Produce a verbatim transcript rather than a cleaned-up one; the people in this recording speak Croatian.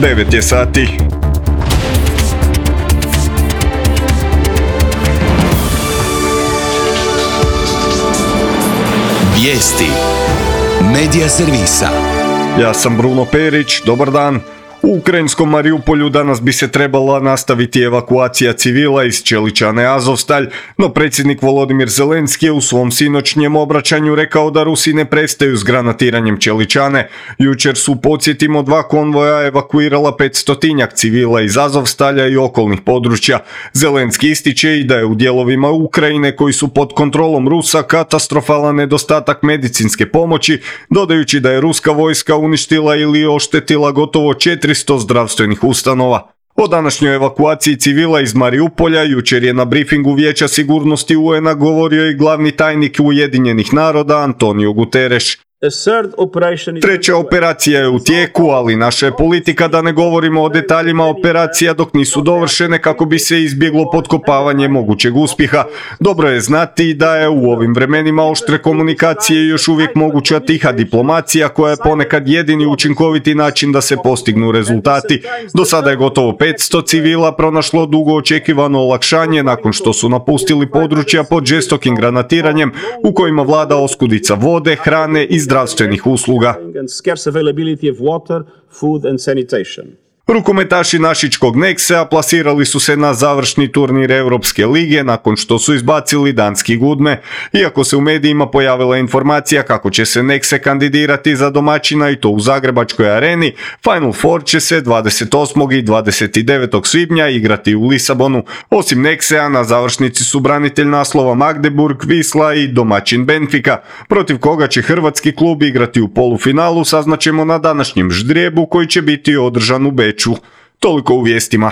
devet je sati. Vijesti Medija servisa. Ja sam Bruno Perić, dobar dan. U ukrajinskom Mariupolju danas bi se trebala nastaviti evakuacija civila iz Čeličane Azovstalj, no predsjednik Volodimir Zelenski je u svom sinoćnjem obraćanju rekao da Rusi ne prestaju s granatiranjem Čeličane. Jučer su, podsjetimo, dva konvoja evakuirala petstotinjak civila iz Azovstalja i okolnih područja. Zelenski ističe i da je u dijelovima Ukrajine koji su pod kontrolom Rusa katastrofalan nedostatak medicinske pomoći, dodajući da je ruska vojska uništila ili oštetila gotovo četiristo zdravstvenih ustanova. O današnjoj evakuaciji civila iz Mariupolja jučer je na brifingu Vijeća sigurnosti U N-a govorio i glavni tajnik Ujedinjenih naroda Antonio Guterres. Treća operacija je u tijeku, ali naša je politika da ne govorimo o detaljima operacija dok nisu dovršene kako bi se izbjeglo potkopavanje mogućeg uspjeha. Dobro je znati da je u ovim vremenima oštre komunikacije još uvijek moguća tiha diplomacija koja je ponekad jedini učinkoviti način da se postignu rezultati. Do sada je gotovo petsto civila pronašlo dugo očekivano olakšanje nakon što su napustili područja pod žestokim granatiranjem u kojima vlada oskudica vode, hrane i zdravstvenih usluga. Rukometaši našičkog Nexe plasirali su se na završni turnir Europske lige nakon što su izbacili danski Gudme. Iako se u medijima pojavila informacija kako će se Nexe kandidirati za domaćina i to u Zagrebačkoj areni, Final Four će se dvadeset osmog i dvadeset devetog svibnja igrati u Lisabonu. Osim Nexea na završnici su branitelj naslova Magdeburg, Wisla i domaćin Benfica, protiv koga će hrvatski klub igrati u polufinalu saznaćemo na današnjem ždrijebu koji će biti održan u Beču. Toliko u vijestima.